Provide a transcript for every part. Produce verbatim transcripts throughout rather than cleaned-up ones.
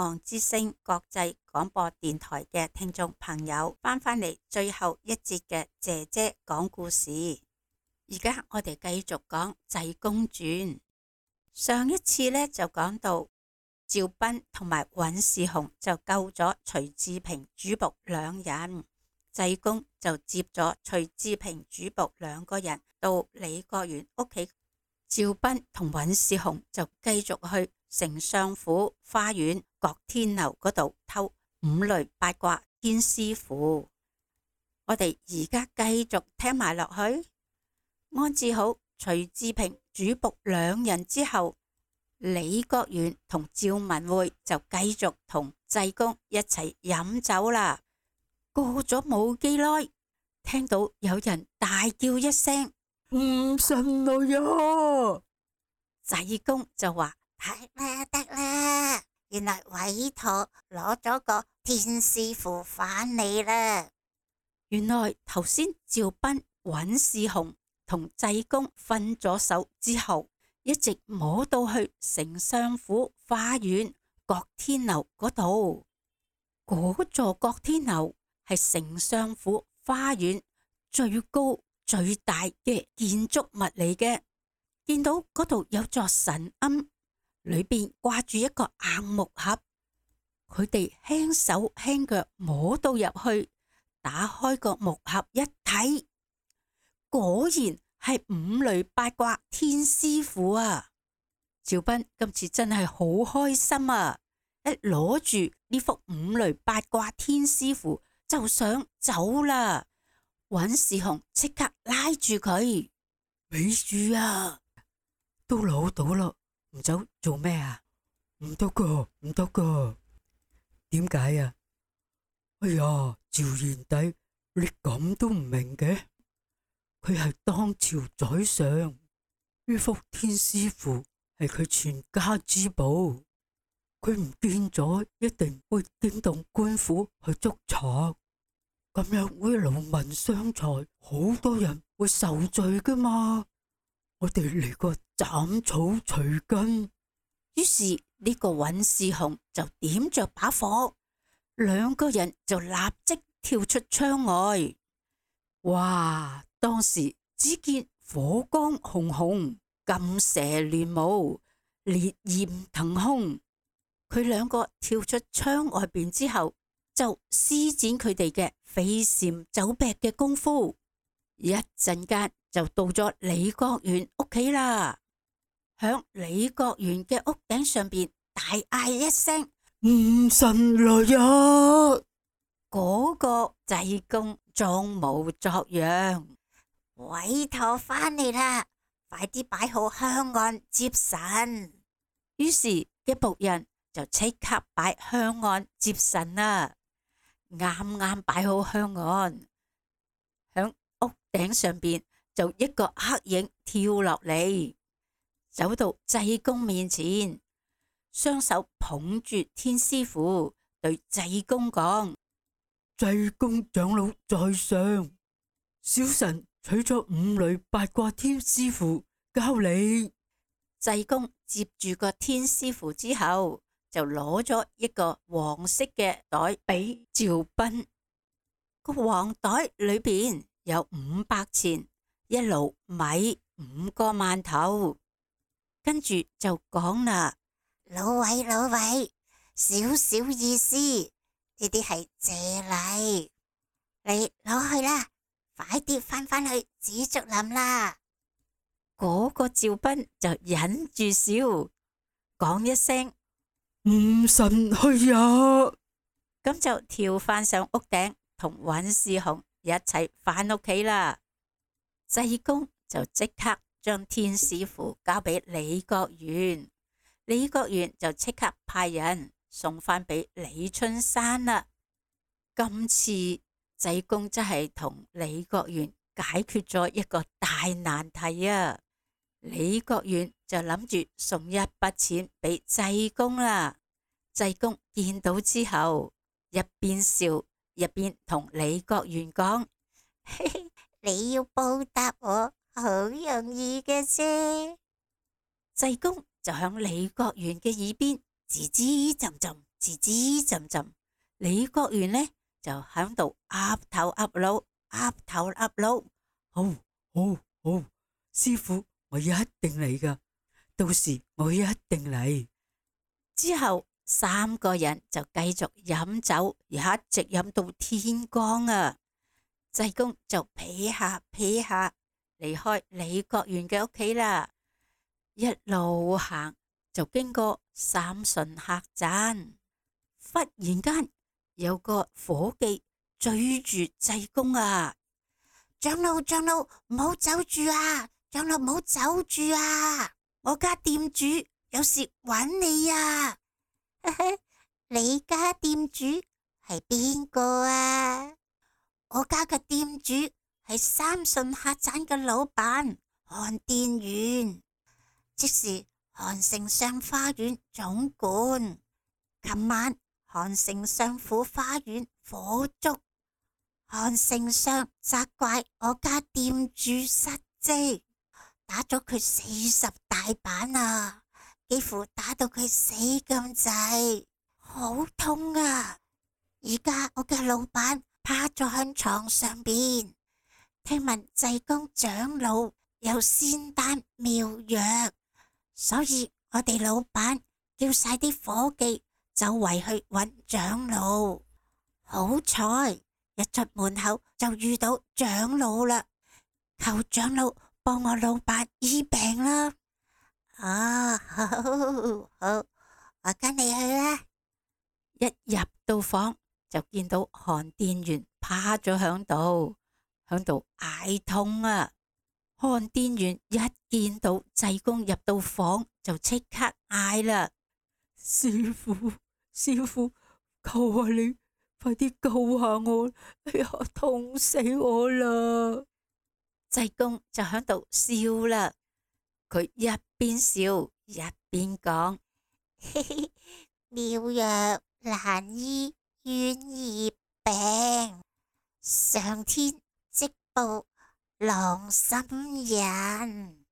岸之聲國際廣播電台嘅聽眾朋友，翻返嚟最後一節嘅姐姐講故事。而家我哋繼續講濟公傳。上一次呢，就講到趙斌同埋尹士雄就救咗徐志平主僕兩人，濟公就接咗徐志平主僕兩個人到李國元屋企。趙斌同尹士雄就繼續去丞相府花園郭天樓嗰度偷五雷八卦天師符。我哋而家繼續聽埋落去。安置好徐志平主僕兩人之後，李國元同趙文會就繼續同濟公一齊飲酒啦。過咗冇幾耐，聽到有人大叫一聲：唔信來呀！濟公就話：得啦得啦，原來委託攞咗個天師符返嚟啦。原來頭先趙斌、尹士雄同濟公分咗手之後，一直摸到去丞相府花園郭天樓嗰度。嗰座郭天樓係丞相府花園最高最大嘅建築物嚟嘅。見到嗰度有座神龕，裏邊掛住一個硬木盒。佢哋輕手輕腳摸到入去，打開個木盒一睇，果然係五雷八卦天師符啊！趙斌今次真係好開心啊！一攞住呢幅五雷八卦天師符就想走啦。尹士雄即刻拉住佢：咪住啊！都攞到啦，唔走做咩啊？唔得噶，唔得噶。點解啊？哎呀，趙賢弟，你咁都唔明嘅？佢係當朝宰相，呢幅天師符係佢全家之寶，佢唔見咗，一定會驚動官府去捉賊，咁樣會勞民傷財，好多人會受罪噶嘛。我哋嚟個斬草除根。於是呢個尹士雄就點着把火，兩個人就立即跳出窗外。哇！當時只見火光熊熊，金蛇亂舞，烈焰騰空。佢兩個跳出窗外邊之後，就施展佢哋嘅飛檐走壁嘅功夫，一陣間就到咗李國元屋企啦。響李國元嘅屋頂上邊大嗌一聲：唔神來呀！嗰個濟公裝模作樣：委託返嚟啦，快啲擺好香案接神。於是嘅僕人就即刻擺香案接神啦。啱啱擺好香案，響屋頂上邊就一個黑影跳落嚟，走到濟公面前，雙手捧住天師符，對濟公講：濟公長老在上，小臣取咗五雷八卦天師符交你。濟公接住個天師符之後，就攞咗一個黃色嘅袋俾趙斌。個黃袋裏邊有五百錢、一爐米、五個饅頭。跟住就講啦：老偉老偉，少少意思，呢啲係謝禮，你攞去啦，快啲翻返去紫竹林啦。嗰個趙斌就忍住笑，講一聲唔神去呀，咁就跳翻上屋頂，同尹士雄一齊翻屋企啦。濟公就即刻將天師符交俾李國元，李國元就即刻派人送翻俾李春山啦。今次濟公真係同李國元解決咗一個大難題啊！李國元就諗住送一筆錢俾濟公啦。濟公見到之後，一邊笑一邊同李國元講：嘿嘿，你要報答我，好容易嘅啫。濟公就響李國元嘅耳邊吱吱斟斟，吱吱吱浸浸。李國元呢就響度岌頭岌腦，岌頭岌腦。好，好，好，師傅，我一定嚟噶，到時我一定嚟。之後三個人就繼續飲酒，一直飲到天光啊！濟公就撇下撇下離開李國元嘅屋企啦，一路行就經過三順客棧，忽然間有個伙計追住濟公啊！長老長老，唔好走住啊！長老唔好走住啊！我家店主有事揾你啊！你家店主係邊個啊？我家嘅店主係三順客棧嘅老闆韓殿元，即是韓丞相花園總管。琴晚韓丞相府花園火燭，韓丞相責怪我家店主失職，打咗佢四十大板啊，幾乎打到佢死咁滯，好痛啊！而家我嘅老闆趴咗喺床上邊，聽聞濟公長老有仙丹妙藥，所以我哋老闆叫晒啲伙計走圍去揾長老。好彩一出門口就遇到長老啦，求長老幫我老闆醫病啦。啊，好，好，我跟你去啦。一入到房就見到韓殿元趴咗響度，響度嗌痛啊！韓殿元一見到濟公入到房就即刻嗌啦：師傅，師傅，求下你快啲救下我！哎呀，痛死我啦！濟公就響度笑啦，佢一邊笑一邊講：嘿嘿，妙藥難醫冤孽病，上天即報郎心人。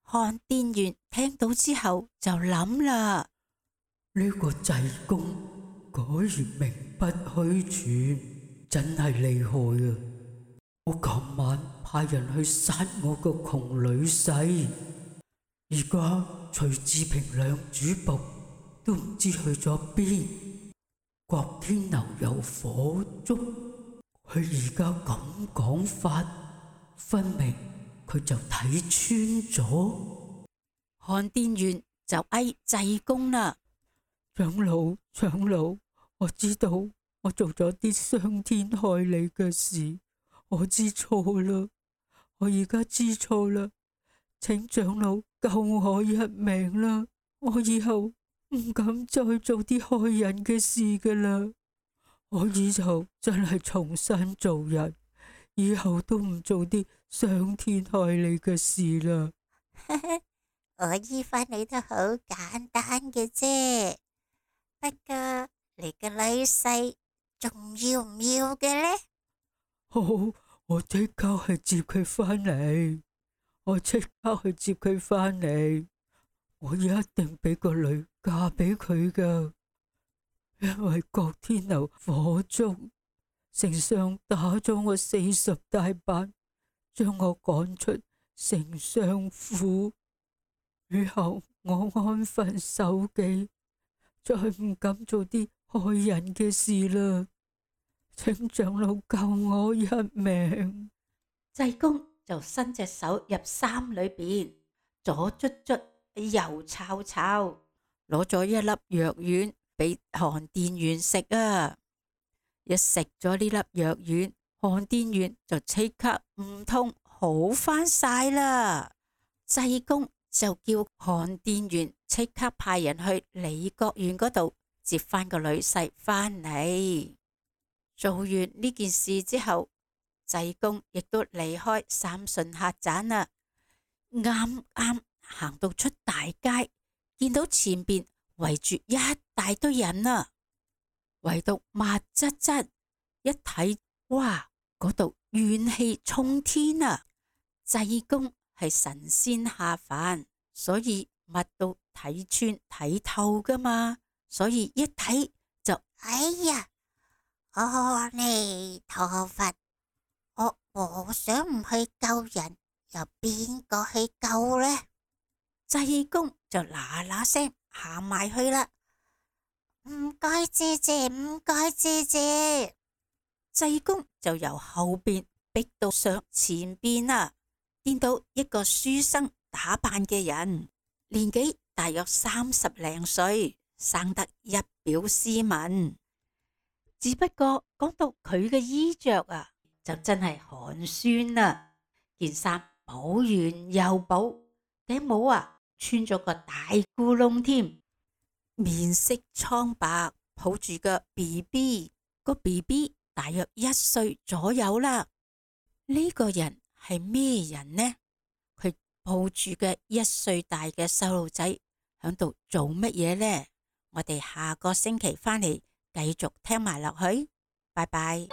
韓殿元聽到之後就諗啦：呢個濟公果然名不虛傳，真係厲害啊！我琴晚派人去殺我個窮女婿，而家徐志平兩主僕都唔知去咗邊。郭天牛有火燭，佢而家咁講法，分明佢就睇穿咗。韓殿元就嗌濟公啦：長老，長老，我知道我做咗啲傷天害理嘅事，我知錯啦，我而家知錯啦，請長老救我一命啦，我以後唔敢再做啲害人嘅事噶啦，我以後真係重新做人，以後都唔做啲傷天害理嘅事啦。我醫返你都好簡單嘅啫，不過你嘅女婿仲要唔要嘅呢？好，我即刻去接佢返嚟，我即刻去接佢返嚟，我一定俾個女嫁俾佢噶，因為郭天牛火燭，丞相打咗我四十大板，將我趕出丞相府。以後我安分守己，再唔敢做啲害人嘅事啦。請長老救我一命。濟公就伸隻手入衫裏邊，左捽捽，右抄抄，攞咗一粒藥丸俾韓殿元食啊！一食咗呢粒藥丸，韓殿元就即刻唔痛好翻晒啦。濟公就叫韓殿元即刻派人去李國元嗰度接翻個女婿翻嚟。做完呢件事之後，濟公亦都離開三順客棧啦。啱啱行到出大街，見到前邊圍住一大堆人啊，圍到密質質，一睇，哇，嗰度怨氣沖天啊！濟公係神仙下凡，所以乜都睇穿睇透噶嘛，所以一睇就哎呀，阿彌陀佛，我和尚唔去救人，又邊個去救呢？濟公就嗱嗱聲行埋去啦。唔該，謝謝，唔該，謝謝。濟公就由後邊逼到上前邊啦，見到一個書生打扮嘅人，年紀大約三十零歲，生得一表斯文。只不過講到佢嘅衣着啊，就真係寒酸啦。件衫補完又補，頂帽啊穿咗個大咕窿添，面色蒼白，抱住個 B B， 個 B B 大約一歲左右啦。呢個人係咩人呢？佢抱住嘅一歲大嘅細路仔響度做乜嘢呢？我哋下個星期翻嚟繼續聽埋落去，拜拜。